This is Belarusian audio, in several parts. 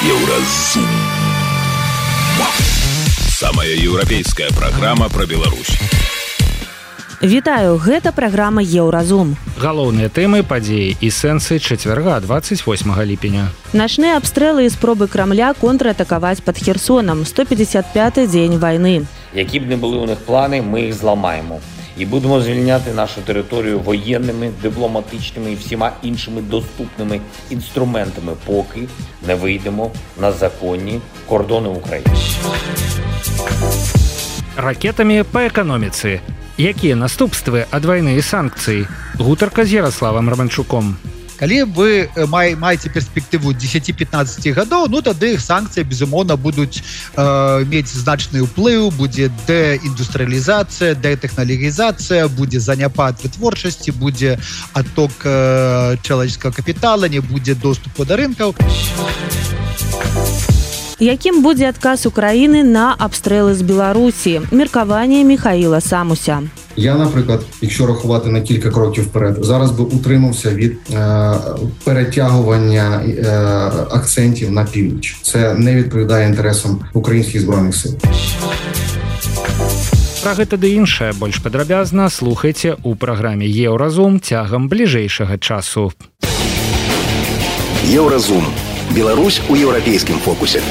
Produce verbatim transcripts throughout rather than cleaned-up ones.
Еўразум. Самая еўрапейская праграма пра Беларусь. Вітаю, гэта праграма Еўразум. Галоўныя тэмы, падзеі і сэнсы чацвярга двадцать восьмага ліпеня. Начныя абстрэлы і спробы Крамля контратакаваць пад Херсонам. сто пятьдесят пятый дзень вайны. Які б не були у них плани, ми їх зламаємо. І будемо звільняти нашу територію воєнними, дипломатичними і всіма іншими доступними інструментами, поки не вийдемо на законні кордони України. Ракетамі па эканоміцы. Якія наступствы ад вайны і санкцый? Гутарка з Ярославам Романчуком. Калі вы маеце перспектыву дзесяці-пятнаццаці гадоў, ну тады санкцыі, безумоўна, будуць э, мець значны ўплыў, будзе дэіндустрыялізацыя, дэтэхналогізацыя, будзе заняпад вытворчасці, будзе адток э, чалавеческага капітала, не будзе доступу да рынкаў. Якім будзе адказ Украіны на абстрэлы з Білорусі? Меркаванне Михаїла Самуся. Я, наприклад, якщо рахувати на кілька кроків вперед, зараз би утримався від е, перетягування е, акцентів на північ. Це не відповідає інтересам українських збройних сил. Пра гэта ды іншае больш падрабязна слухайце у праграме Еўразум цягам бліжэйшага часу. Еўразум. Беларусь у еўрапейскім фокусе.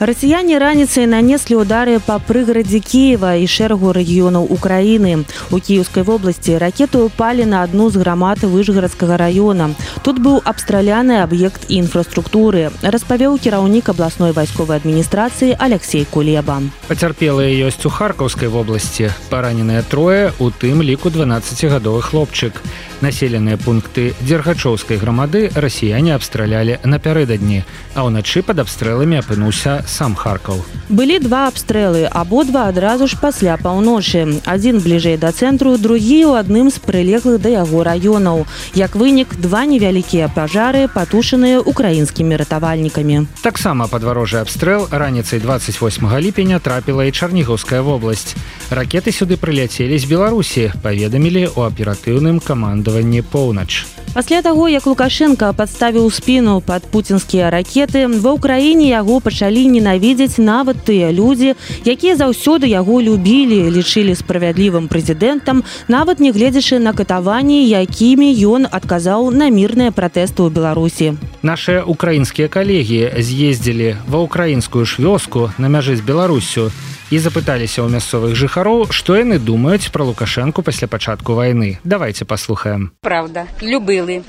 Расіяне раніцай нанеслі ўдары па прыгарадзе Кіева і шэрагу рэгіёнаў Украіны. У Кіеўскай вобласці ракеты ўпалі на адну з грамад Выжгарадскага раёна. Тут быў абстраляны аб'ект інфраструктуры, распавёў кіраўнік абласной вайсковай адміністрацыі Алексей Кулеба. Пацярпелыя ёсць у Харкаўскай вобласці. Параненыя трое, у тым ліку дванаццацігадовы хлопчык. Населеныя пункты Дзергачоўскай грамады расіяне абстралялі напярэдадні, а ўначы пад абстрэламі апынуўся сам Харкаў. Былі два абстрэлы, абодва адразу ж пасля паўночы. Адзін бліжэй да цэнтру, другі ў адным з прылеглых да яго раёнаў. Як вынік, два невялікія пажары, патушаныя украінскімі ратавальнікамі. Таксама падварожы абстрэл раніцай двадцать восьмага ліпеня трапіла і Чарнігаўская вобласць. Ракеты сюды прыляцелі з Беларусі, паведамілі ў аператыўным камандаванні «Поўнач». Пасля таго, як Лукашенка падставіў спіну пад пуцінскія ракеты, ва ўкраіне яго пачалі ненавідзець нават тыя людзі, якія заўсёды яго любілі, лічылі справядлівым прэзідэнтам, нават не гледзячы на катаванні, якімі ён адказаў на мірныя пратэсты ў Беларусі. Нашыя украінскія калегі з'ездзілі ва ўкраінскую ж вёску на мяжы з Беларуссю і запыталіся ў мясцовых жыхароў, што яны думаюць пра Лукашенку пасля пачатку вайны. Давайте паслухаем. Правда, любили.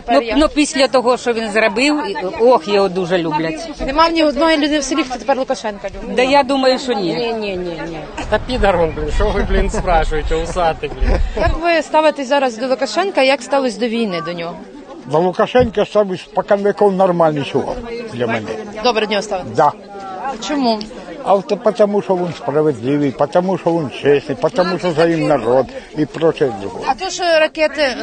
Ну, ну після того, що він зробив, ох, його дуже люблять. Нема ні одної людини в селі, хто тепер Лукашенка любить. Да я думаю, що ні. Ні, ні, ні, ні. Та підарон, блін, що ви, блін, спрашуєте, усатий, блін. Як ви ставитесь зараз до Лукашенка, як ставитесь до війни до нього? До Лукашенка ставлюсь споконвеков нормальний чувак для мене. Добре до нього ставитесь? Да. Чому? А то тому, що він справедливий, тому, що він чесний, тому, що за ним народ і проче друге. А то, що ракети,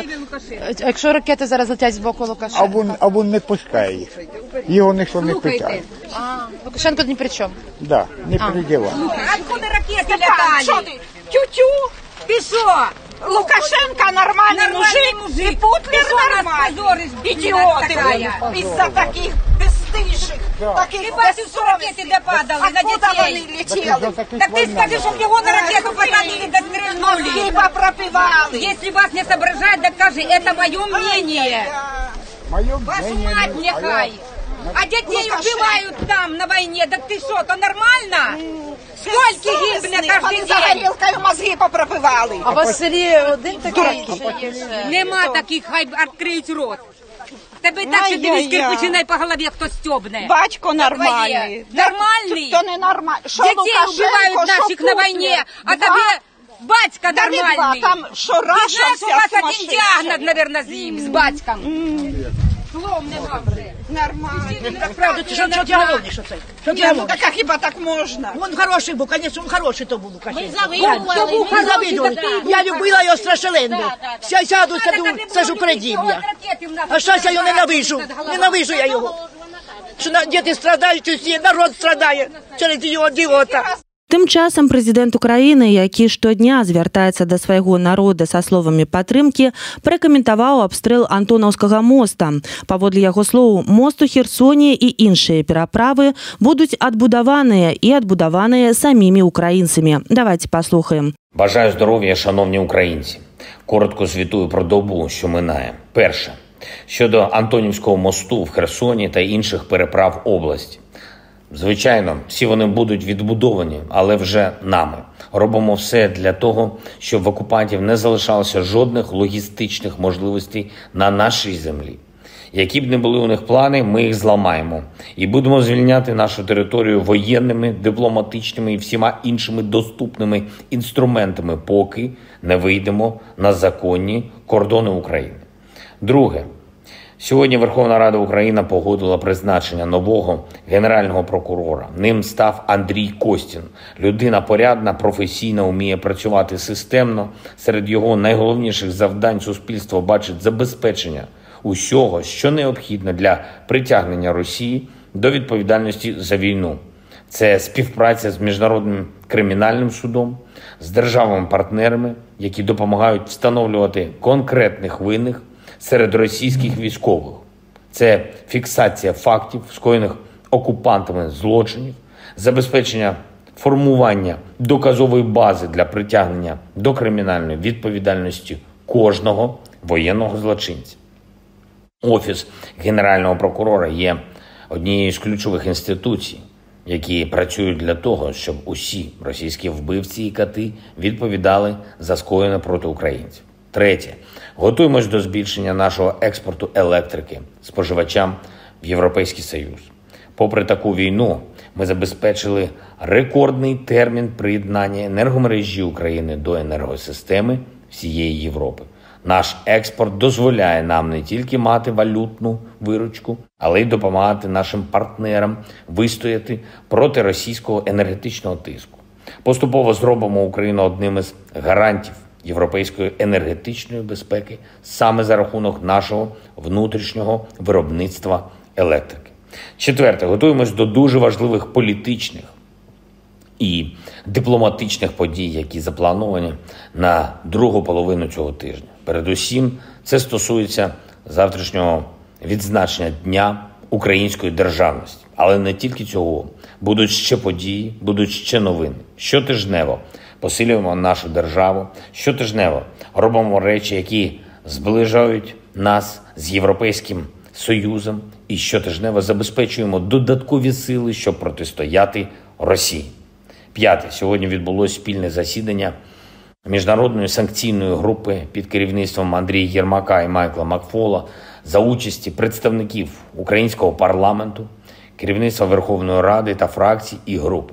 якщо ракети зараз летять з боку Лукашенка? А він, а він не пускає їх. Його ніхто не питає. А, Лукашенко ні при чому? Да, не приділа. Откуда ракети летали? Що ти? Тю-тю? Ти що? Лукашенко нормальний мужик, і Путлер нормальний. Ідіоти ви. Із-за таких бесстыжих, таких безсовісних. Ти бачив, що ракети де падали на дітей? Откуда вони летіли? Так ти скажи, щоб його на ракету посадили да стрельнули. Хіба пропивали. Якщо вас не соображать, так кажи, це моє мнение. Вашу мать нехай. А детей убивают там на войне. Так ты что, то нормально? Сколько гибне каждый день? За горілкою мозги попропивали. А у вас в селі один такий? Нема таких, хай відкриють рот. Тебе так, що дивись, кирпичинай по голові, хто стьобне. Батько нормальний. Нормальний? Хто не нормальний? Детей убивают наших на войне, а тебе батька нормальний. Там що Раша вся сумасшедшая. Ты знаешь, у вас один диагноз, наверное, с ним, с батьком. Слом не добре. Нормально. Так правда, ти що ти говориш оце? Що ти говориш? Так хіба так можна? Він хороший був, звісно, він хороший то був Лукашенко. Ми завидували. Ми завидували. Я любила його страшенно. Ся сяду, це ж Україна. А зараз я його ненавижу. Ненавижу я його. Що діти страдають, усі, народ страдає через його ідіота. Тым часам прэзідэнт Украіны, які штодня звяртаецца да свайго народа са словамі падтрымкі, пракаментаваў абстрэл Антонаўскага моста. Паводле яго слоў, мост у Херсоне і іншыя пераправы будуць адбудаваныя і адбудаваныя самімі украінцамі. Давайте послухаємо. Бажаю здоров'я, шановні українці. Коротко звітую про добу, що минає. Перше. Щодо Антонівського мосту в Херсоні та інших переправ області. Звичайно, всі вони будуть відбудовані, але вже нами. Робимо все для того, щоб в окупантів не залишалося жодних логістичних можливостей на нашій землі. Які б не були у них плани, ми їх зламаємо. І будемо звільняти нашу територію воєнними, дипломатичними і всіма іншими доступними інструментами, поки не вийдемо на законні кордони України. Друге. Сьогодні Верховна Рада України погодила призначення нового генерального прокурора. Ним став Андрій Костін. Людина порядна, професійна, вміє працювати системно. Серед його найголовніших завдань суспільство бачить забезпечення усього, що необхідно для притягнення Росії до відповідальності за війну. Це співпраця з Міжнародним кримінальним судом, з державами-партнерами, які допомагають встановлювати конкретних винних серед російських військових. Це фіксація фактів, скоєних окупантами злочинів, забезпечення формування доказової бази для притягнення до кримінальної відповідальності кожного воєнного злочинця. Офіс Генерального прокурора є однією з ключових інституцій, які працюють для того, щоб усі російські вбивці і кати відповідали за скоєне проти українців. Третє. Готуємось до збільшення нашого експорту електрики споживачам в Європейський Союз. Попри таку війну, ми забезпечили рекордний термін приєднання енергомережі України до енергосистеми всієї Європи. Наш експорт дозволяє нам не тільки мати валютну виручку, але й допомагати нашим партнерам вистояти проти російського енергетичного тиску. Поступово зробимо Україну одним із гарантів європейської енергетичної безпеки саме за рахунок нашого внутрішнього виробництва електрики. Четверте, готуємось до дуже важливих політичних і дипломатичних подій, які заплановані на другу половину цього тижня. Передусім, це стосується завтрашнього відзначення Дня української державності. Але не тільки цього. Будуть ще події, будуть ще новини. Щотижнево посилюємо нашу державу, щотижнево робимо речі, які зближають нас з Європейським Союзом і щотижнево забезпечуємо додаткові сили, щоб протистояти Росії. П'яте. Сьогодні відбулося спільне засідання Міжнародної санкційної групи під керівництвом Андрія Єрмака і Майкла Макфола за участі представників українського парламенту, керівництва Верховної Ради та фракцій і груп.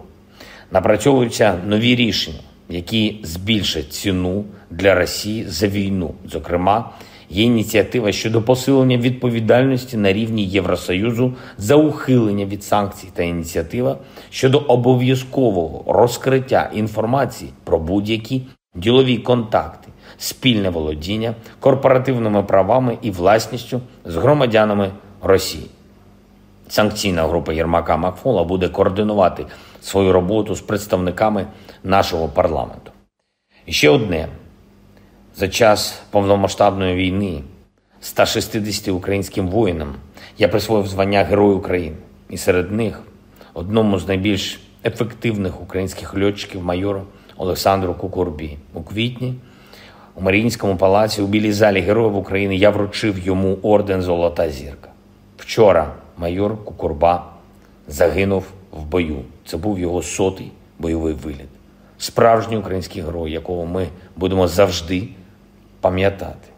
Напрацьовуються нові рішення, які збільшать ціну для Росії за війну. Зокрема, є ініціатива щодо посилення відповідальності на рівні Євросоюзу за ухилення від санкцій та ініціатива щодо обов'язкового розкриття інформації про будь-які ділові контакти, спільне володіння корпоративними правами і власністю з громадянами Росії. Санкційна група Єрмака Макфола буде координувати свою роботу з представниками нашого парламенту. І ще одне. За час повномасштабної війни ста шістдесяти українським воїнам я присвоїв звання Герой України. І серед них одному з найбільш ефективних українських льотчиків майору Олександру Кукурбі. У квітні у Маріїнському палаці у Білій залі Героїв України я вручив йому орден «Золота зірка». Вчора майор Кукурба загинув в бою. Це був його сотий бойовий виліт. Справжній український герой, якого ми будемо завжди пам'ятати.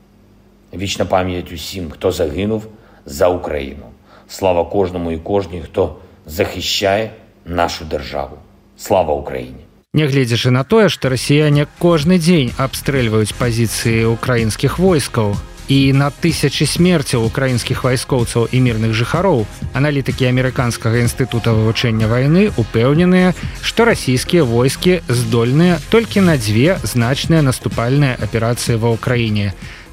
Вічна пам'ять усім, хто загинув за Україну. Слава кожному і кожній, хто захищає нашу державу. Слава Україні! Нягледзячы на тое, што расіяне кожны дзень абстрэльваюць пазіцыі украінскіх войскаў і на тысячы смерцяў украінскіх вайскоўцаў і мірных жыхароў, аналітыкі амерыканскага інстытута вывучэння вайны упэўненыя, што расійскія войскі здольныя толькі на дзве значныя наступальныя аперацыі ва ўкраіне.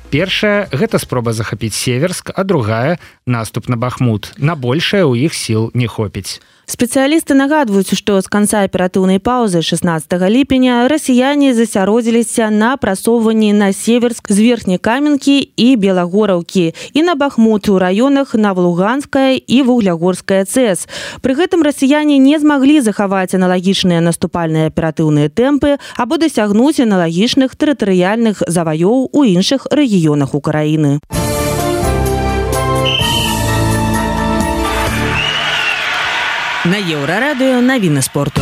Першая – гэта спроба захапіць Северск, а другая – наступ на Бахмут. На большае ў іх сіл не хопіць. Спецыялісты нагадваюць, што з канца аператыўнай паўзы шэснаццатага ліпеня расіяне засяродзіліся на прасоўванні на Северск з верхняй Каменкі і Белагораўкі і на Бахмут у раёнах Навалуганская і Вуглягорская ЦЭС. Пры гэтым расіяне не змаглі захаваць аналагічныя наступальныя аператыўныя тэмпы або дасягнуць аналагічных тэрытарыяльных заваёў у іншых рэгіёнах Украіны. На Еўрарадыё навіны спорту.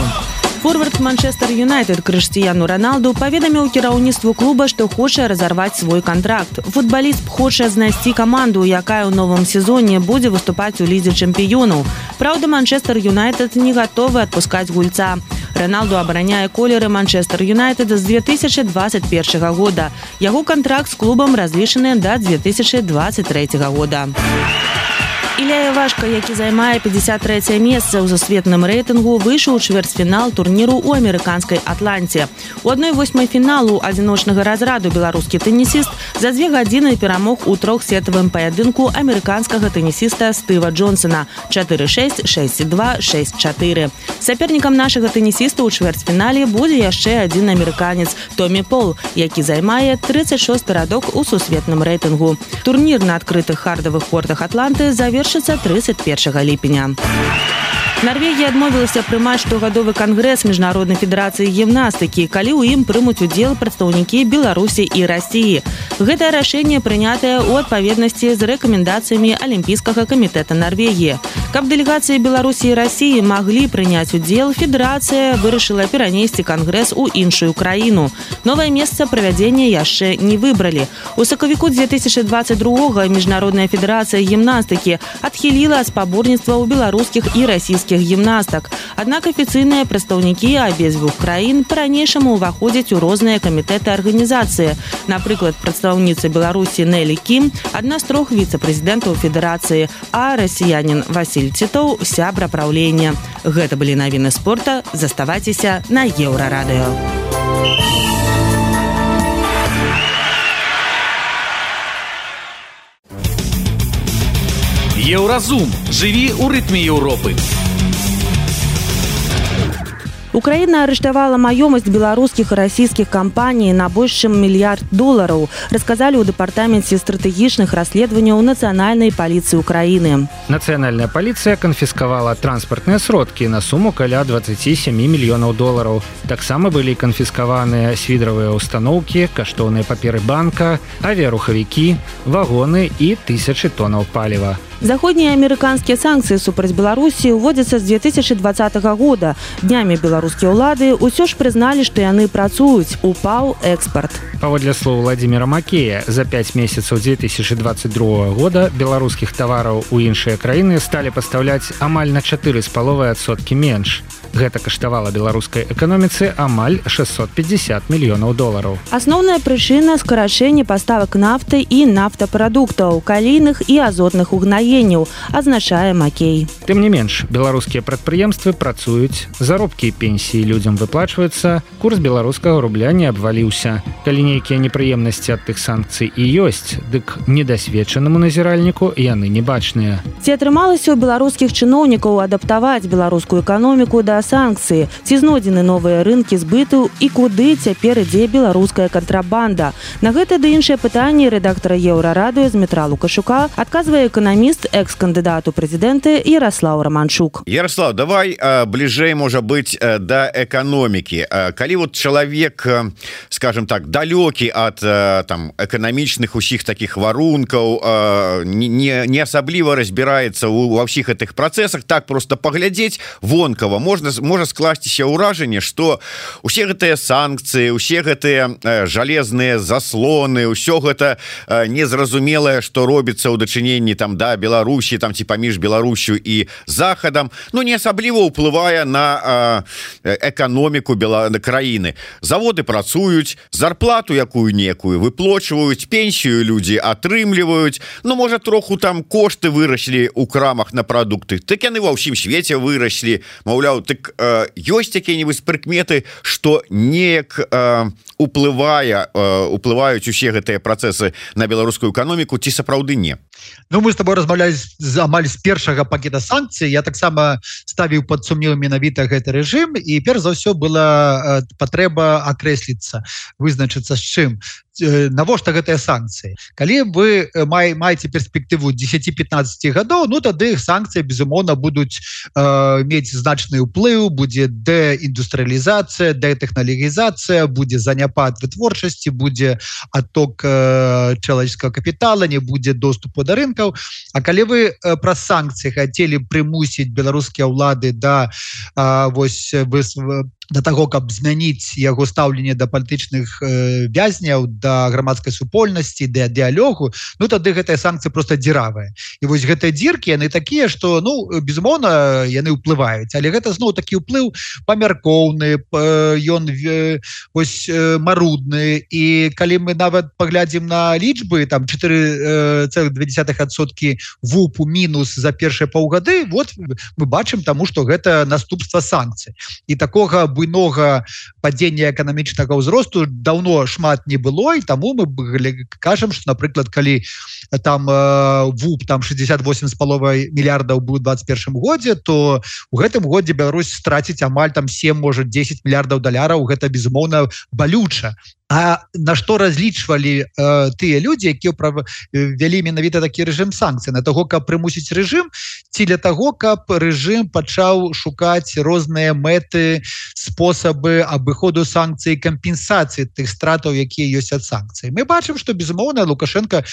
Форвард Манчестер Юнайтед Крыштіяну Роналду паведаміў кіраўніцтву клуба, што хоча разарваць свой кантракт. Футбаліст хоча знайсці каманду, якая ў новым сезоне будзе выступаць у лідзе чэмпіёнаў. Праўда, Манчестер Юнайтед не гатовы адпускаць гульца. Роналду абараняе колеры Манчестер Юнайтед з две тысячы двадцать першага года. Яго кантракт з клубам разлічаны да две тысячы двадцать трэцяга года. Ілля Івашка, які займае пятьдесят трэцяе месца ў сусветным рэйтынгу, выйшаў у чвэрцьфінал турніру ў амерыканскай Атланце. У адной восьмай фіналу адзіночнага разраду беларускі тэнісіст за дзве гадзіны перамог у трохсетавым паядынку амерыканскага тэнісіста Стыва Джонсона чатыры шэсць, шэсць два, шэсць чатыры. Сапернікам нашага тэнісіста ў чвэрцьфінале будзе яшчэ адзін амерыканец Томі Пол, які займае трыццаць шосты радок у сусветным рэйтынгу. Турнір на адкрытых хардавых кортах Атланты завершыцца тридцать першага ліпеня. Норвегія адмовілася прымаць штогадовы кангрэс Міжнароднай федэрацыі гімнастыкі, калі ў ім прымуць удзел прадстаўнікі Беларусі і Расіі. Гэтае рашэнне прынятае ў адпаведнасці з рэкамендацыямі Алімпійскага камітэта Норвегіі. Каб дэлегацыі Беларусі і Расіі маглі прыняць удзел, федэрацыя вырашыла перанесці кангрэс у іншую краіну. Новае месца правядзення яшчэ не выбралі. У сакавіку две тысячы двадцать другога Міжнародная федэрацыя гімнастыкі адхіліла спаборніцтва ў беларускіх і расійскіх гімнастак. Аднак афіцыйныя прадстаўнікі абедзвюх краін па-ранейшаму ўваходзяць у розныя камітэты арганізацыі. Напрыклад, прадстаўніца Беларусі Нелі Кім, адна з трох віцэ-прэзідэнтаў федэрацыі, а расіянін Васіль Цітоў – сябра праўлення. Гэта былі навіны спорта. Заставайцеся на Еўрарадыё. Еўразум. Жыві ў рытме Еўропы. Украіна арыштавала маёмасць беларускіх і расійскіх кампаній на больш чым мільярд долараў, расказалі ў дэпартаменце стратэгічных расследаванняў Нацыянальнай паліцыі Украіны. Нацыянальная паліцыя канфіскавала транспартныя сродкі на суму каля двадцать семь мільёнаў долараў. Таксама былі канфіскаваныя свідравыя ўстаноўкі, каштоўныя паперы банка, авіярухавікі, вагоны і тысячы тонаў паліва. Заходнія амерыканскія санкцыі супраць Беларусі ўводзяцца з две тысячы двадцатага года. Днямі беларускія ўлады ўсё ж прызналі, што яны працуюць. Упаў экспарт. Паводле слоў Владзіміра Макея, за пяць месяцаў две тысячы двадцать другога года беларускіх тавараў у іншыя краіны сталі пастаўляць амаль на чатыры з паловай адсоткі менш. Гэта каштавала беларускай эканоміцы амаль шэсцьсот пятьдесят мільёнаў долараў. Асноўная прычына – скарачэнне паставак нафты і нафтапрадуктаў, калійных і азотных угнаенняў, азначае Макей. Тым не менш, беларускія прадпрыемствы працуюць, заробкі і пенсіі людзям выплачваюцца, курс беларускага рубля не абваліўся. Калі нейкія непрыемнасці ад тых санкцый і ёсць, дык недасведчанаму назіральніку яны не бачныя. Ці атрымалася ў беларускіх чыноўнікаў адаптаваць беларускую эканоміку да санкцыі? Ці знойдзены новыя рынкі збыту і куды цяпер ідзе беларуская кантрабанда? На гэта ды іншыя пытанні рэдактара Еўрарадыё Змітра Лукашука адказвае эканаміст, экс-кандыдат у прэзідэнты Яраслаў Раманчук. Ярослав, давай а, бліжэй, можа быць, а, да эканомікі. А, калі вот чалавек, а, скажем так, далёкі ад а, там эканамічных усіх такіх варункаў, а, не, не асабліва разбіраецца ва ўсіх гэтых працэсах, так просто паглядзець вонкава можна можа скласціся ўражанне, што усе гэтыя санкцыі, усе гэтыя жалезныя заслоны, ўсё гэта незразумелае, што робіцца ў дачыненні там да Беларусі, там ці паміж Беларусю і захадам, ну не асабліва ўплывае на эканоміку краіны. Заводы працуюць, зарплату якую некую выплачваюць, пенсію людзі атрымліваюць, ну можа троху там кошты выраслі ў крамах на прадукты, так яны ва ўсім свеце выраслі, маўляў, так дык ёсць якія-нибудь прыкметы, што неяк уплывае уплываюць усе гэтыя працэсы на беларускую эканоміку, ці сапраўды не? Ну, мы с тобой размаўлялі амаль з першага пакета санкцый. Я таксама ставіў пад сумнеў менавіта гэты рэжым, і перш за ўсё была патрэба акрэсліцца, вызначыцца з чым. Навошта гэтыя санкцыі? Калі вы май, маеце перспектыву дзесяці-пятнаццаці гадоў, ну тады іх санкцыі безумоўна будуць э, мець значны ўплыў, будзе дэіндустрыялізацыя, дэтэхналігізацыя, будзе заняпад вытворчасці, будзе отток э, чалавеческага капітала, не будзе доступу да рынкаў. А калі вы э, праз санкцыі хацелі прымусіць беларускія ўлады да э, вось вы да таго, каб змяніць яго стаўленне да палітычных э, вязняў, да грамадскай супольнасці, да дыялогу, ну тады гэтыя санкцыі просто дзіравыя. І вось гэтыя дзіркі, яны такія, што, ну, безумоўна, яны ўплываюць, але гэта зноў такі ўплыў памяркоўны, ён э, ось э, марудны, і калі мы нават паглядзім на лічбы, там чатыры цэлых две дзесятых адсоткі вупу мінус за першыя паўгады, вот мы бачым таму, што гэта наступства санкцый. І такога буйнога падзення эканамічнага ўзросту даўно шмат не было, і таму мы кажам, што, напрыклад, калі там э, вуп там шестьдесят восемь з паловай мільярдаў быў у двадцать першым годзе, то у гэтым годзе Беларусь страціць амаль там семь, можа дзесяць мільярдаў даляраў. Гэта безумоўна балюча. А на што разлічвалі э, тыя людзі, якія вялі менавіта такі рэжым санкцый? На таго, каб прымусіць рэжым, ці для таго, каб рэжым пачаў шукаць розныя мэты, спосабы абыходу санкцый, кампенсацыі тых стратаў, якія ёсць ад санкцый. Мы бачым, што безумоўна Лукашенко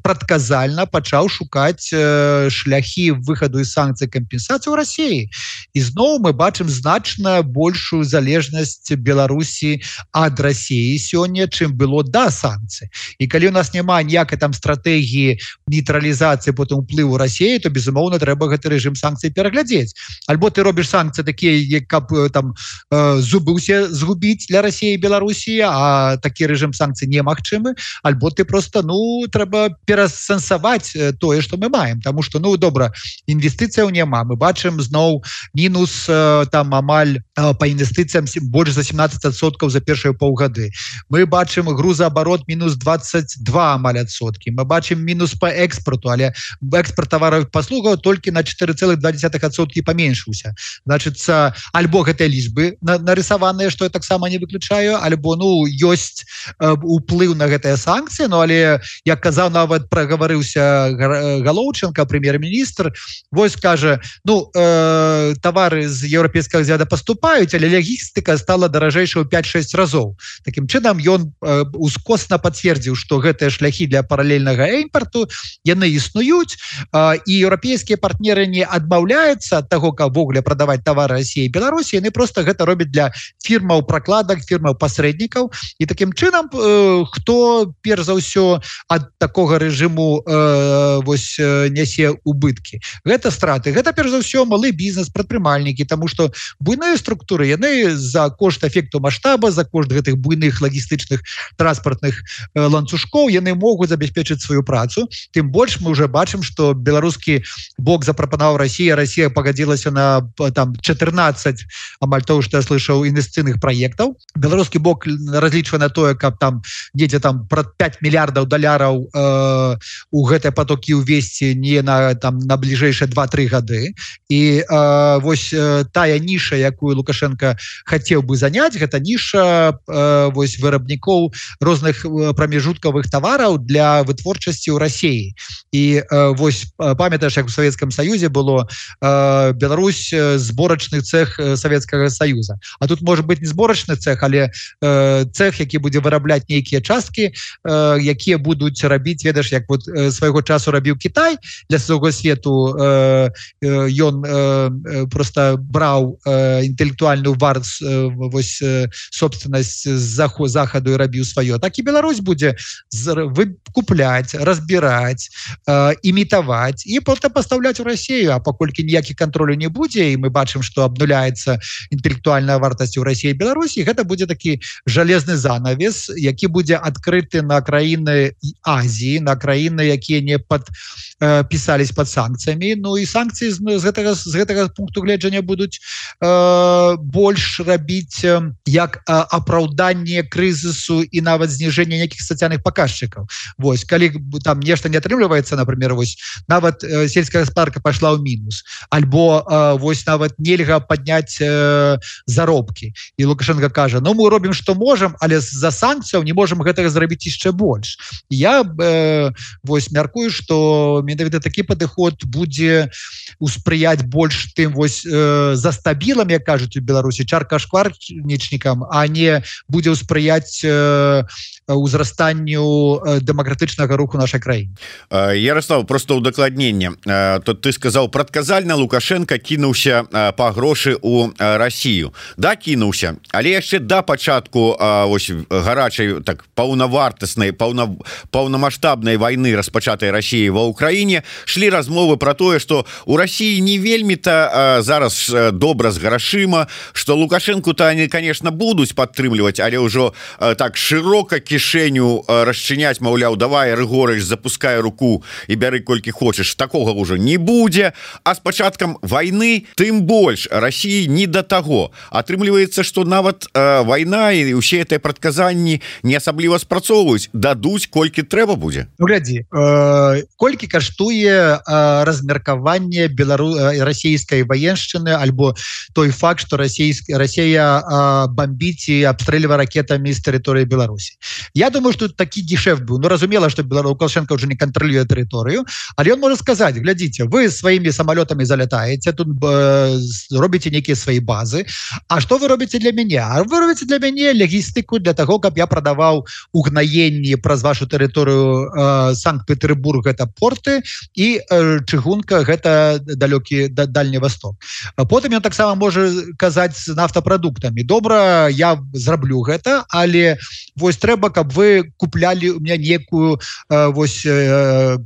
прадказальна пачаў шукаць э, шляхі выхаду з санкцый, кампенсацыі ў Расіі. І зноў мы бачым значна большую залежнасць Беларусі ад Расіі сёння, чым было да санкцый. І калі у нас няма ніякай там стратэгіі нейтралізацыі потым уплыву Расіі, то безумоўна трэба гэты рэжым санкцый пераглядзець. Альбо ты робіш санкцыі такія, як каб там э, зубы ўсе згубіць для Расіі і Беларусі, а такі рэжым санкцый немагчымы, альбо ты просто, ну, трэба перасэнсаваць тое, што мы маем, таму што, ну, добра, інвестыцыяў няма. Мы бачым зноў мінус э, там амаль э, па інвестыцыям больш за семнадцать адсоткаў за першыя паўгады. Мы бачым грузаабарот мінус двадцать два амаль адсоткі. Мы бачым мінус по экспорту, але экспорт тавараў і паслугаў толькі на четыре целых два десятых адсоткі паменшыўся. Значыцца, альбо гэтыя лічбы нарысаваныя, што я таксама не выключаю, альбо, ну, ёсць э, уплыў на гэтыя санкцыі, ну, але, як казаў, нават прагаварыўся Галоўченко, прэм'ер-міністр, вось кажа, ну, э, тавары з еўрапейскага звяда паступаюць, але логістыка стала даражэйшая ў пять-шесть разоў. Такім чынам ён э, ускосна пацвердзіў, што гэтыя шляхі для паралельнага імпарту яны існуюць, э, і еўрапейскія партнеры не адмаўляюцца ад таго, каб ввогуле прадаваць тавары Расіі і Беларусі, яны просто гэта робяць для фірмаў пракладак, фірмаў пасрэднікаў. І такім чынам э, хто перш за ўсё ад такога рэжыму э, вось э, нясе убыткі? Гэта страты. Гэта перш за ўсё малы бізнес, прадпрымальнікі, таму што буйныя структуры, яны за кошт эфекту маштаба, за кошт гэтых буйных лагістычных транспартных э, ланцужкоў, яны могуць забяспечыць сваю працу. Тым больш мы уже бачым, што беларускі бок запрапанаваў Расія, Расія пагадзілася на там четырнадцать, амаль того, што я слышаў, інвестыцыйных праектаў. Беларускі бок разлічвае на тое, каб там недзе там пра пять мільярдаў даляраў э, у гэтыя потокі ўвесці не на там на бліжэйшыя два-тры гады. І э, вось э, тая ніша, якую Лукашенко хацеў бы заняць, гэта ніша э, вось вырабнікоў розных прамежуткавых тавараў для вытворчасці ў Расіі. І э, вось памятаеш, як у Савецкам Саюзе было э, Беларусь зборачны цэх Савецкага Саюза. А тут можа быць не зборачны цэх, але э, цэх, які будзе вырабляць нейкія часткі, э, якія будуць рабіць, ведаш, як вот э, свайго часу рабіў Кітай для свайго свету. Э, э, ён э, просто браў э, інтэлектуальную варт э, вось э, собственнасць з захаду і рабіў сваё. Так і Беларусь будзе выкупляць, разбіраць, э, імітаваць і потым пастаўляць пастаўляць у Россию, а паколькі ніякіх контролю не будзе, і мы бачым, что обнуляется інтэлектуальная вартасць у России и Беларусі, гэта будзе такі жалезны занавес, які будзе адкрыты на краіны Азии, на краіны, якія не подпісались под санкциями. Ну и санкции з гэтага, з гэтага пункту гледжання будуць э, больш рабіць э, як э, апраўданне крызису и нават зніжэнне неких социальных показчиков. Вось, калі там нешта не атрымліваецца, например, вось нават э, сельская гаспадарка пошла ў мінус, альбо э, вось нават нельга подняць э, заробки. И Лукашенко кажа, ну мы робім что можем, але за санкцыяў не можем гэтага зрабіць яшчэ больш. Я э, вось мяркую, что менавіта такі падыход будзе успрыяць больш тым вось э, за стабілам, як кажуць у Беларусі, чарка-шкварнічнікам, а не будзе ўспрыяць э, узрастанню э, дэмакратычнага руху нашай краіны. Ярослав, просто удакладненне. То ты сказаў, прадказальна Лукашенко кінуўся па грошы ў Россию. Да, кінуўся, але яшчэ да пачатку ось гарачай, так паўнавартаснай, паўна, паўнамаштабнай вайны, распачатай Россией ва Украіне, шлі размовы про тое, что у России не вельмі-то зараз добра з грашыма, что Лукашенко-то они, конечно, будуць падтрымліваць, але ўжо так широка кішэню расчыняць, маўляў, давай, Рыгорыч, запускай руку і бяры колькі хочаш. Такога ўжо не будзе, а с пачаткам вайны тым больш России не до того. Атрымліваецца, что нават э, вайна і ўсе гэтыя прадказанні не асабліва спрацоўваюць, дадуць колькі трэба будзе. Ну, глядзі, э, колькі каштуе э, размеркаванне белару... расійскай ваеншчыны альбо той факт, что расійск... Россия э, бомбіць і абстрэльвае ракетамі з тэрыторыі Беларусі. Я думаю, что такі гешефт быў. Ну, разумела, что Лукашенко уже не контролюе тэрыторыю, але он может сказать, глядите, вы своими самолетами залетаете, тут э, робите некие свои базы, а что вы робите для меня? А вы робите для меня логистику для того, каб я продавал угнаенні праз вашу тэрыторыю э, Санкт-Петербург, это порты, и э, чыгунка, гэта далёкі да, дальні восток. Потым ён таксама можа казаць з нафтапрадуктамі. Добра, я зраблю гэта, але вось трэба, каб вы куплялі у меня некую э, вось э,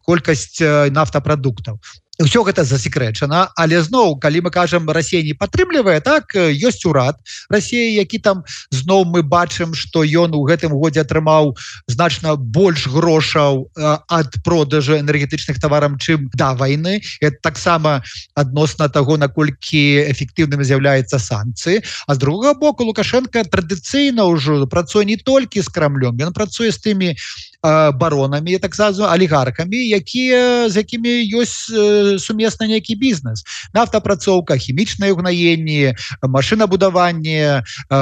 колькасць нафтапрадуктаў. Усё гэта засекрэчана, але зноў, калі мы кажам, Россия не падтрымлівае, так, ёсць урад России, які там зноў мы бачым, што ён у гэтым годзе атрымаў значна больш грошаў э, ад продажу энергетычных тавараў, чым да вайны. Это таксама адносна таго, наколькі эфектыўным з'яўляецца санкцыі. А з другога боку, Лукашенко традыцыйна ўжо працуе не толькі з Крамлём, ён працуе з тымі баронамі, так сказано, алігаркамі, якія, з якімі ёсць э, сумесны нейкі бізнес. Нафтапрацоўка, хімічнае угнаенне, машынабудаванне, э,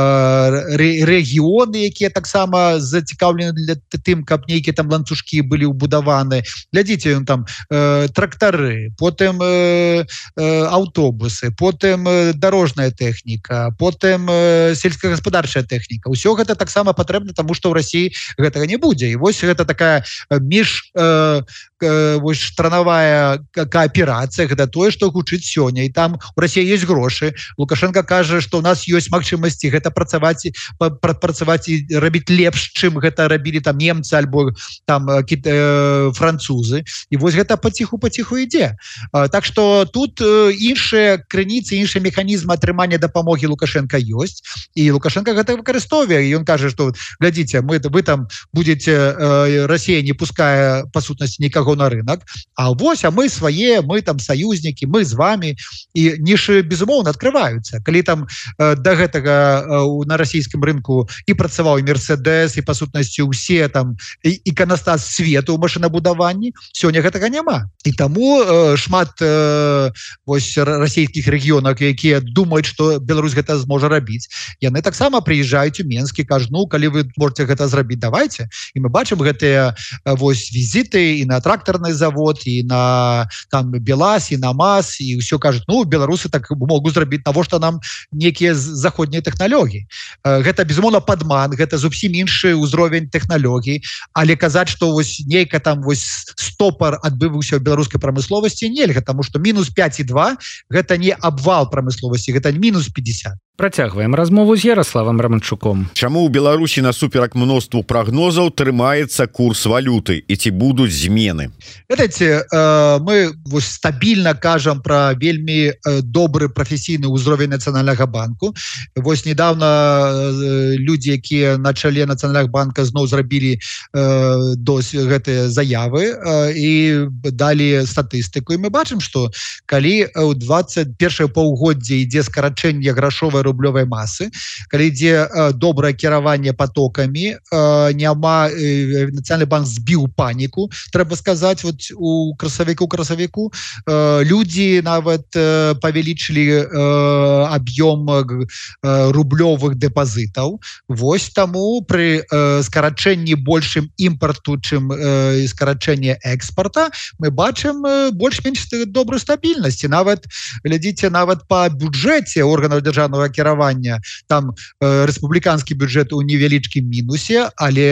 рэгіёны, якія таксама зацікаўлены для тым, каб нейкія там ланцужкі былі ўбудаваны. Глядзіце, ён там э, трактары, потым э, э, аўтобусы, потым э, дарожная тэхніка, потым э, сельскагаспадарчая тэхніка. Усё гэта таксама патрэбна, таму што ў России гэтага не будзе. І вось гэта такая між э, э, вось страновая кооперация, гэта тое, што гучыць сёння, і там у России есть грошы. Лукашенко кажа, што у нас ёсць магчымасці гэта працаваць, працаваць і рабіць лепш, чым гэта рабілі там немцы альбо там э, французы. І вось гэта паціху-паціху ідзе. Э, так што тут э, іншыя крыніцы, іншыя механізмы атрымання дапамогі Лукашенко ёсць, і Лукашенко гэта выкарыстоўвае. І ён кажа, што глядзіце, мы вы там будете э, Россия не пуская по сутнасці никого на рынок, а вось, а мы свои, мы там союзники, мы с вами, и ниши безумоўно открываются. Калі там э, до гэтага э, на российском рынку и працаваў Мерседес, и по сутнасці усе там иконостас свету у машинабудаванні, сёння гэтага няма. И тому э, шмат э, вось российских регионов, якія думают, что Беларусь гэта зможа рабіць, яны таксама приезжаюць у Менск и кажут, ну, калі вы можете гэта зрабіць, давайте. И мы бачым гэтыя вось візіты і на тракторный завод, і на там БелАЗ, і на МАЗ, і ўсё кажуць, ну, беларусы так могуць зрабіць, навошта нам некія заходнія тэхналогіі. Гэта, безумоўна, падман, гэта зусім іншы ўзровень тэхналогій, але казаць, што вось нейка там вось стопар адбываўся ў беларускай прамысловасці нельга, таму што мінус пять і два гэта не абвал прамысловасці, гэта мінус пятьдесят. Працягваем размову з Ярославам Романчуком. Чаму ў Беларусі насуперак мноству прагнозаў трымаецца курс валюты і ці будуць змены? Ведаеце, мы вось стабільна кажам пра вельмі добры прафесійны ўзровень Нацыянальнага банку. Вось недавно людзі, якія на чале Нацыянальнага банка зноў зрабілі досі гэтыя заявы і далі статыстыку. І мы бачым, што калі ў двадцать першае паўгоддзе ідзе скарачэнне грашовай рублёвай масы, калі ідзе добрае кіраванне потокамі, няма, Нацыянальны банк збіў паніку, трэба сказаць, вот у красавіку красавіку людзі нават павялічылі аб'ём рублёвых дэпазітаў. Вось таму пры скарачэнні большым імпарту, чым скарачэнне экспарта, мы бачым больш-менш добрую стабільнасць. Нават глядзіце, нават па бюджэце органаў дзяржаўнага кіравання, там рэспубліканскі бюджэт у невялічкім мінусе, але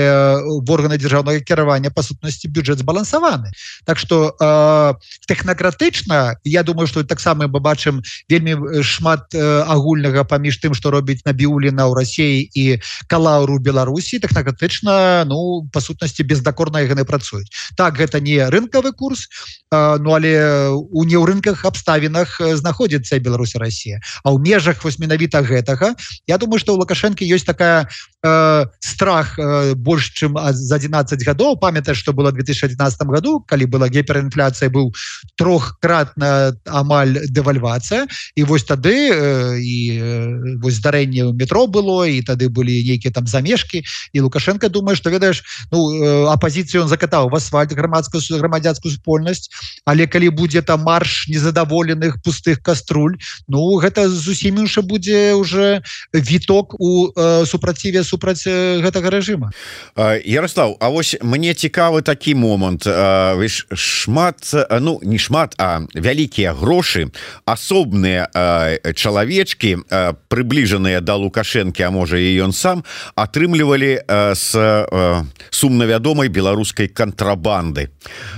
в органы дзяржаўнага кіравання па сутнасці бюджэт збалансаваны. Так што э, тэхнакратычна, я думаю, што таксама мы бачым вельмі шмат э, агульнага паміж тым, што робіць Набіуліна ў Расіі і Калаўру ў Беларусі. Тэхнакратычна, ну, па сутнасці бездакорна яны працуюць. Так, гэта не рынкавы курс, э, ну, але у неўрынках абставінах знаходзіцца Беларусь і Расія. А ў межах вось менавіта гэтага, я думаю, што ў Лукашэнкі ёсць такая э, страх э, больш, чым за адзінаццаць гадоў. Памятаеш, што было ў две тысячи адзінаццатым году, калі была гіперінфляцыя, быў трохкратная амаль дэвальвацыя, і вось тады э, і э, вось здарэнне ў метро было, і тады былі нейкія там замешкі, і Лукашенко думае, што, ведаеш, ну, э, апазіцыю ён закатаў в асфальт, грамадскую грамадзянскую супольнасць, але калі будзе там марш незадаволеных пустых каструль, ну, гэта зусім інша будзе уже віток у э, супраціве супраць гэтага рэжыма. Ярослав, а вось мне цікавы такі момант. Вось шмат, ну, не шмат, а вялікія грошы, асобныя чалавечкі, прыбліжаныя да Лукашэнкі, а можа і ён сам, атрымлівалі з сумна вядомай беларускай кантрабанды.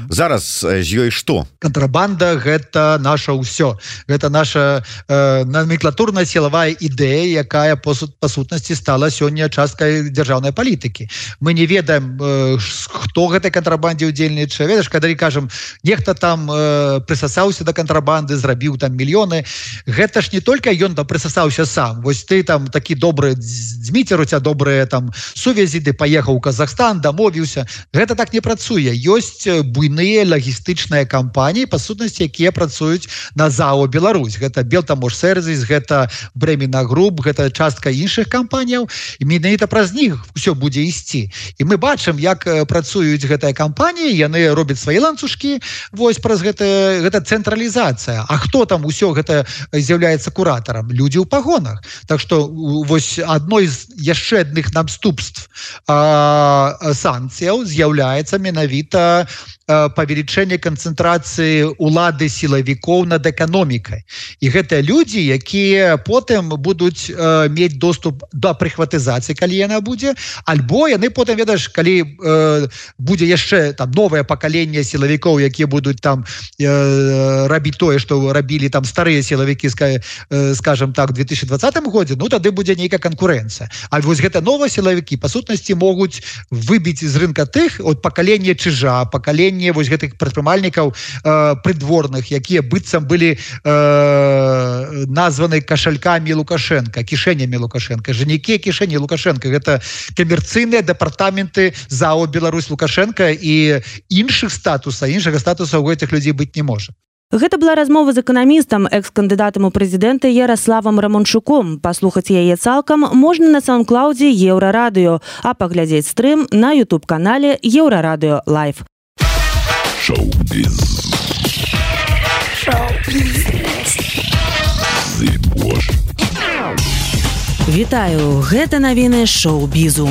Зараз з ёй што? Кантрабанда — гэта наша ўсё. Гэта наша э, номенклатурная сілавая ідэя, якая по, по сутнасці стала сёння часткай дзяржаўнай палітыкі. Мы не ведаем, э, хто гэтай кантрабандзе ўдзельнічае. Ведаеш, калі кажам, нехта там э, прысасаўся да кантрабанды, зрабіў там мільёны, гэта ж не толькі ён там прысасаўся сам. Вось ты там такі добры Дзміцер, у ця добрыя там сувязі, ты паехаў у Казахстан, дамовіўся. Гэта так не працуе. Ёсць буйныя лагістычныя кампаніі, па сутнасці, якія працуюць на ЗАО Беларусь. Гэта Белтамож-Сервіс, гэта Бремена Груп, гэта частка іншых кампаніяў. І менавіта праз них ўсё будзе ісці. І мы бачым, як працуюць гэтыя кампаніі, яны робяць свае ланцужкі, вось праз гэта, гэта цэнтралізацыя. А хто там усё гэта з'яўляецца куратарам? Людзі ў пагонах. Так што вось адной з яшчэ адных наступств санкцыяў з'яўляецца менавіта павелічэнне канцэнтрацыі улады сілавікоў над эканомікай. І гэтыя людзі, якія потым будуць э, мець доступ да прыхватызацыі, калі яна будзе, альбо яны потым, ведаеш, калі э, будзе яшчэ там новае пакаленне сілавікоў, якія будуць там э, рабіць тое, што рабілі там старыя сілавікі, ска, э, скажем так, у две тысячи двадцатым годзе, ну тады будзе нейкая канкурэнцыя. А вось гэта новыя сілавікі, па сутнасці, могуць выбіць з рынка тых от пакалення чыжа, пакалення вось гэтых прадпрымальнікаў э, прыдворных, якія быццам былі э, названы кашалькамі Лукашенко, кішэнямі Лукашенко. Жанікі кішэні Лукашенко. Гэта камерцыйныя дэпартаменты ЗАО Беларусь Лукашенко, і іншых статуса, іншага статуса у гэтых людзей быць не можа. Гэта была размова з эканамістам, экс-кандыдатам у прэзідэнты Ярославам Романчуком. Паслухаць яе цалкам можна на саундклаудзе Еўрарадыё, а паглядзець стрым на ютуб-канале Еўрарадыё Лайв. Шоу-біз. Шоу-біз. Вітаю, гэта навіны шоу-бізу.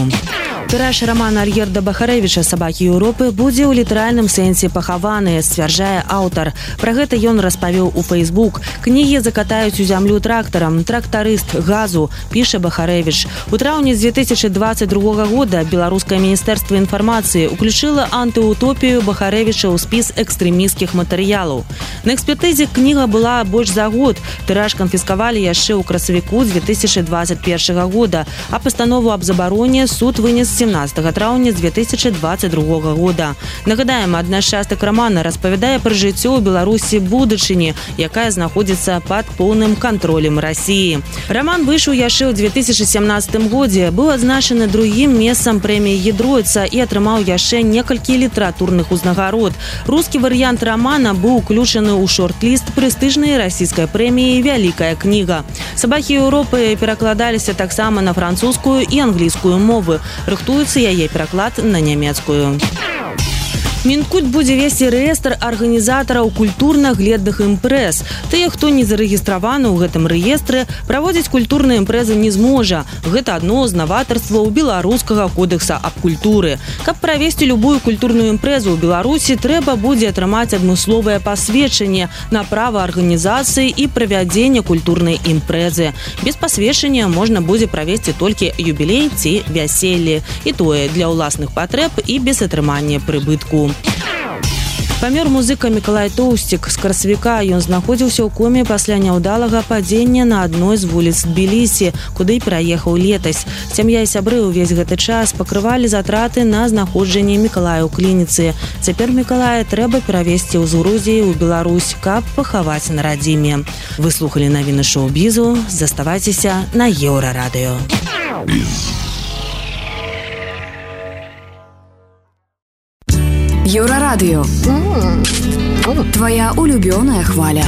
Тыраж романа Альгерда Бахарэвіча «Сабакі Еўропы» будзе ў літаральным сэнсе пахаваны, сцвярджае аўтар. Пра гэта ён распавёў у Facebook. Кнігі закатаюць у зямлю трактарам. Трактарыст газу, піша Бахарэвіч. У траўні две тысячи двадцать другога года беларускае міністэрства інфармацыі уключыла антыутопію Бахарэвіча ў спіс экстрэмісцкіх матэрыялаў. На экспертызе кніга была больш за год. Тыраж канфіскавалі яшчэ ў красавіку две тысячи двадцать первого года, а пастанову аб забароне суд вынес семнадцатого траўня две тысячи двадцать другога года. Нагадаем, адна з частак рамана распавядае пра жыццё ў Беларусі будучыні, якая знаходзіцца пад поўным кантролем Расіі. Раман выйшаў яшчэ ў две тысячи семнадцатым годзе, быў адзначаны другім месцам прэміі Гідройца і атрымаў яшчэ некалькі літаратурных узнагарод. Рускі варыянт рамана быў уключаны ў шорт-ліст прэстыжнай расійскай прэміі «Вялікая кніга». «Сабакі Еўропы» перакладаліся таксама на французскую і англійскую мовы. Рыхтуецца яе пераклад на нямецкую. Мінкульт будзе весці рэестр арганізатараў культурна-гледных імпрэз. Тыя, хто не зарэгістраваны ў гэтым рэестры, праводзіць культурныя імпрэзы не зможа. Гэта адно з наватарстваў беларускага кодекса аб культуры. Каб правесці любую культурную імпрэзу ў Беларусі, трэба будзе атрымаць адмысловае пасведчанне на права арганізацыі і правядзення культурнай імпрэзы. Без пасведчання можна будзе правесці толькі юбілей ці вяселле. І тое для ўласных патрэб і без атрымання прыбытку. Памёр музыка Мікалай Тоўсцік. З красавіка ён знаходзіўся ў коме пасля няўдалага падзення на адной з вуліц Тбілісі, куды пераехаў летась. Сям'я і сябры ўвесь гэты час пакрывалі затраты на знаходжанне Мікалая ў клініцы. Цяпер Мікалая трэба перавезці ў Грузію ў Беларусь, каб пахаваць на радзіме. Вы слухалі навіны шоу-бізу. Заставайцеся на Еўрарадыё. Еўрарадыё. Твоя улюбёная хваля.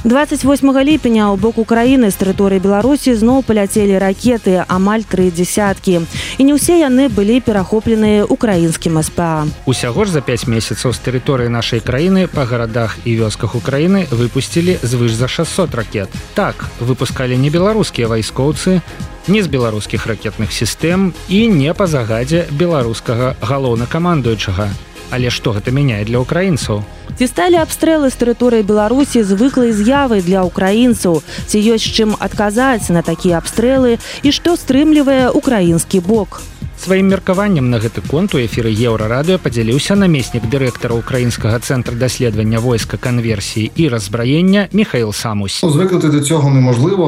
двадцать восьмага ліпеня ў бок Украіны з тэрыторыі Беларусі зноў паляцелі ракеты, амаль тры дзясяткі. І не ўсе яны былі перахопленыя украінскім эс пэ а. Усяго ж за пяць месяцаў з тэрыторыі нашай краіны па гарадах і вёсках Украіны выпусцілі звыш за шэсцьсот ракет. Так, выпускалі не беларускія вайскоўцы, не з беларускіх ракетных сістэм і не па загадзе беларускага галоўнакамандуючага. Але што гэта мяняе для украінцаў? Ці сталі абстрэлы з тэрыторыі Беларусі звыклай з'явай для украінцаў? Ці ёсць чым адказаць на такія абстрэлы і што стрымлівае украінскі бок? Сваім меркаваннем на гэты конт у эфіры Еўрарадыё падзяліўся намеснік дырэктара Українського центру дослідження войска, конверсії і роззброєння Михаїл Самусь. Звикнути до цього неможливо.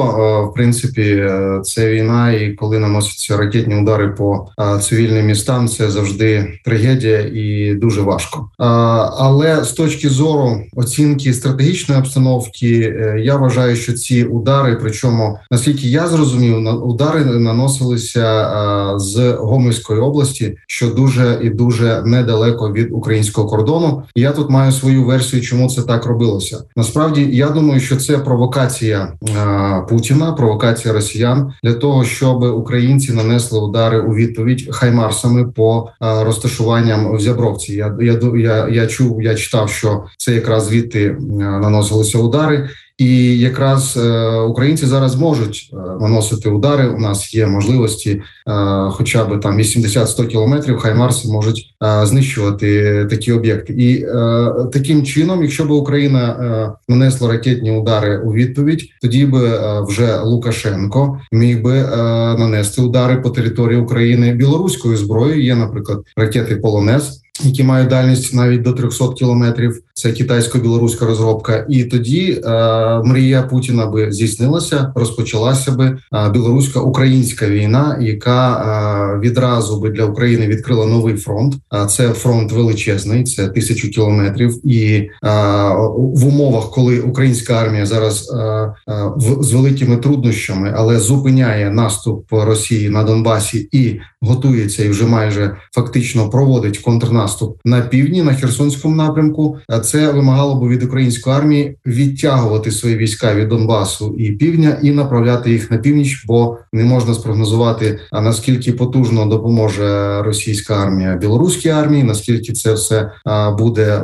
В принципі, це війна, і коли наносяться ракетні удари по цивільним містам, це завжди трагедія і дуже важко. Але з точки зору оцінки стратегічної обстановки, я вважаю, що ці удари, причому, наскільки я зрозумів, удари наносилися з Гомельської області, що дуже і дуже недалеко від українського кордону. І я тут маю свою версію, чому це так робилося. Насправді, я думаю, що це провокація е, Путіна, провокація росіян для того, щоб українці нанесли удари у відповідь хаймарсами по е, розташуванням в Зябровці. Я, я, я, я чув, я читав, що це якраз звідти е, наносилися удари. І якраз е, українці зараз можуть е, наносити удари. У нас є можливості е, хоча б там вісімдесят-сто кілометрів, хаймарси можуть е, знищувати такі об'єкти. І е, таким чином, якщо б Україна е, нанесла ракетні удари у відповідь, тоді би е, вже Лукашенко міг би е, нанести удари по території України білоруською зброєю. Є, наприклад, ракети «Полонез», які мають дальність навіть до триста кілометрів. Це китайсько-білоруська розробка. І тоді е, мрія Путіна би здійснилася, розпочалася би е, білорусько-українська війна, яка е, відразу би для України відкрила новий фронт. А це фронт величезний, це тисячу кілометрів. І е, в умовах, коли українська армія зараз е, е, в, з великими труднощами, але зупиняє наступ Росії на Донбасі і готується, і вже майже фактично проводить контрнаступ наступ на півдні, на Херсонському напрямку. Це вимагало б від української армії відтягувати свої війська від Донбасу і півдня і направляти їх на північ, бо не можна спрогнозувати, а наскільки потужно допоможе російська армія білоруській армії, наскільки це все буде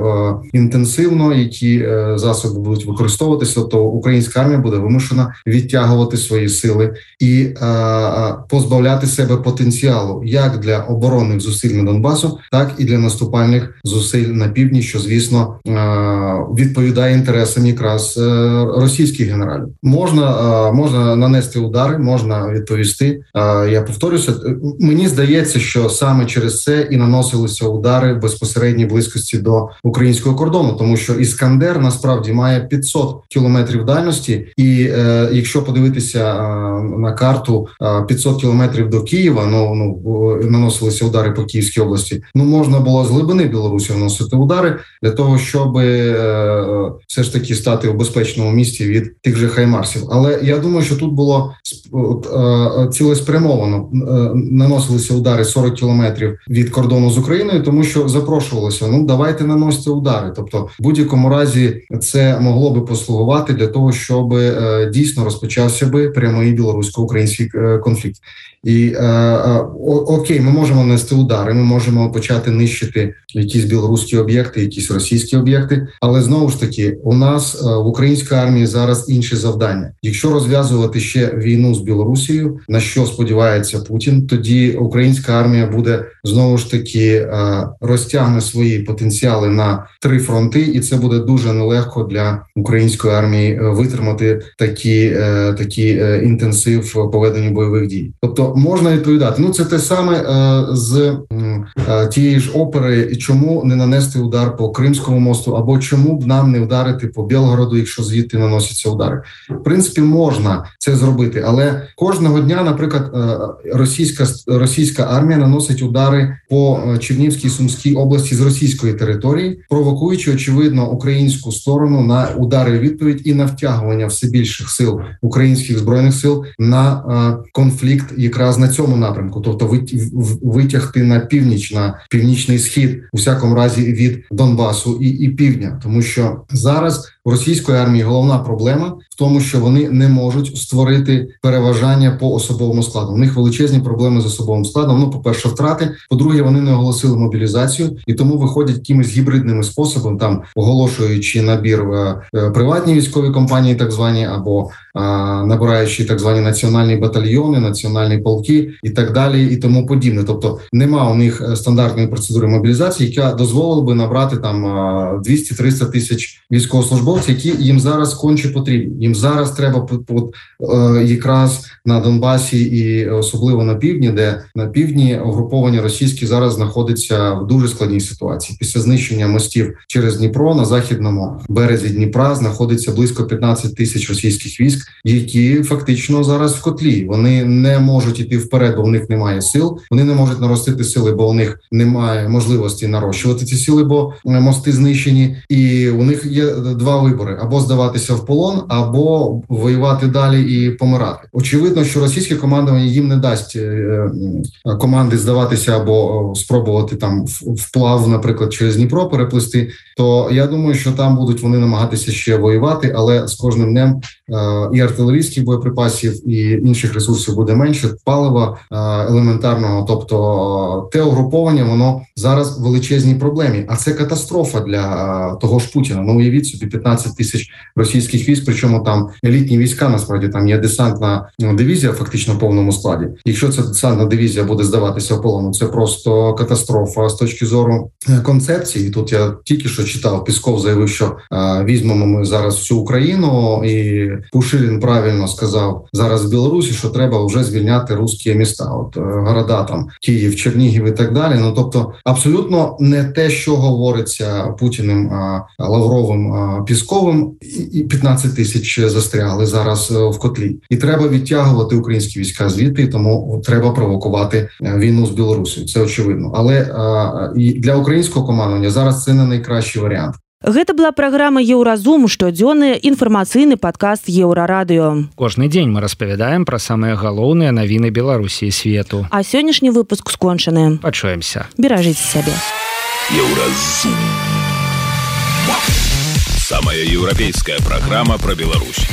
інтенсивно, які засоби будуть використовуватися, то українська армія буде вимушена відтягувати свої сили і позбавляти себе потенціалу як для оборонних зусиль на Донбасу, так і для наступальних зусиль на півдні, що, звісно, відповідає інтересам якраз російських генералів. Можна, можна нанести удари, можна відповісти. Я повторюся, мені здається, що саме через це і наносилися удари в безпосередній близькості до українського кордону, тому що Іскандер насправді має п'ятсот кілометрів дальності, і е, якщо подивитися е, на карту е, п'ятсот кілометрів до Києва, ну, ну наносилися удари по Київській області, ну можна було з глибини Білорусі наносити удари для того, щоб е, все ж таки стати у безпечному місці від тих же хаймарсів. Але я думаю, що тут було е, цілеспрямовано е, наносилися удари сорок кілометрів від кордону з Україною, тому що запрошувалося, ну давайте наносити удари. Тобто в будь-якому разі це могло би послугувати для того, щоб е, дійсно розпочався би прямий білорусько-український е, конфлікт. І е, е, окей, ми можемо нести удари, ми можемо почати нищити якісь білоруські об'єкти, якісь російські об'єкти, але знову ж таки у нас е, в українській армії зараз інші завдання. Якщо розв'язувати ще війну з Білорусією, на що сподівається Путін, тоді українська армія буде знову ж таки е, розтягне свої потенціали на три фронти, і це буде дуже нелегко для української армії витримати такі, е, такі е, інтенсив по веденню бойових дій. Тобто можна відповідати. Ну це те саме е, з е, тієї ж опери, чому не нанести удар по Кримському мосту, або чому б нам не вдарити по Білгороду, якщо звідти наносяться удари. В принципі, можна це зробити, але кожного дня, наприклад, е, російська, російська армія наносить удари по Чернігівській, Сумській області з російської території, провокуючи, очевидно, українську сторону на удари відповідь і на втягування все більших сил українських збройних сил на е, конфлікт якраз на цьому напрямку, тобто витягти на північ, на північний схід, у всякому разі від Донбасу і, і півдня, тому що зараз у російської армії головна проблема в тому, що вони не можуть створити переважання по особовому складу. У них величезні проблеми з особовим складом. Ну, по-перше, втрати, по-друге, вони не оголосили мобілізацію, і тому виходять якимись гібридними способами, там оголошуючи набір в приватні військові компанії, так звані, або а, набираючи так звані національні батальйони, національні полки і так далі, і тому подібне. Тобто нема у них стандартної процедури мобілізації, яка дозволила би набрати там двісті-триста тисяч військовослужбовців, які їм зараз конче потрібні. Їм зараз треба якраз на Донбасі і особливо на півдні, де на півдні угруповання російські зараз знаходиться в дуже складній ситуації. Після знищення мостів через Дніпро на західному березі Дніпра знаходиться близько п'ятнадцять тисяч російських військ, які фактично зараз в котлі. Вони не можуть іти вперед, бо в них немає сил. Вони не можуть наростити сили, бо у них немає можливості нарощувати ці сили, бо мости знищені. І у них є два вибори: або здаватися в полон, або воювати далі і помирати. Очевидно, що російське командування їм не дасть команди здаватися або спробувати там вплав, наприклад, через Дніпро переплисти, то я думаю, що там будуть вони намагатися ще воювати, але з кожним днем і артилерійських боєприпасів, і інших ресурсів буде менше, палива елементарного, тобто те угруповання, воно зараз в величезній проблемі, а це катастрофа для того ж Путіна. Ну, уявіть собі, п'ятнадцять тисяч російських військ, причому там елітні війська, насправді там є десантна дивізія фактично в повному складі. Якщо ця десантна дивізія буде здаватися в полону, це просто катастрофа з точки зору концепції. Тут я тільки що читав, Пісков заявив, що а, візьмемо ми зараз всю Україну, і Пушилін правильно сказав зараз в Білорусі, що треба вже звільняти русські міста, от города там Київ, Чернігів і так далі. Ну тобто абсолютно не те, що говориться Путіним, а, Лавровим, а, Пісковим, і п'ятнадцять тисяч застрягли зараз в котлі. І треба відтягувати українські війська звідти, тому треба провокувати війну з Білорусією. Це очевидно. Але а, і для українського командування зараз це не найкращий варіант. Гэта была праграма Еўразум, штодзённы інфармацыйны падкаст Еўрарадыё. Кожны дзень мы распавядаем пра самыя галоўныя навіны Беларусі і свету. А сённяшні выпуск скончаны. Пачуемся. Беражыце сябе. Еўразум. Самая еўрапейская программа про Беларусь.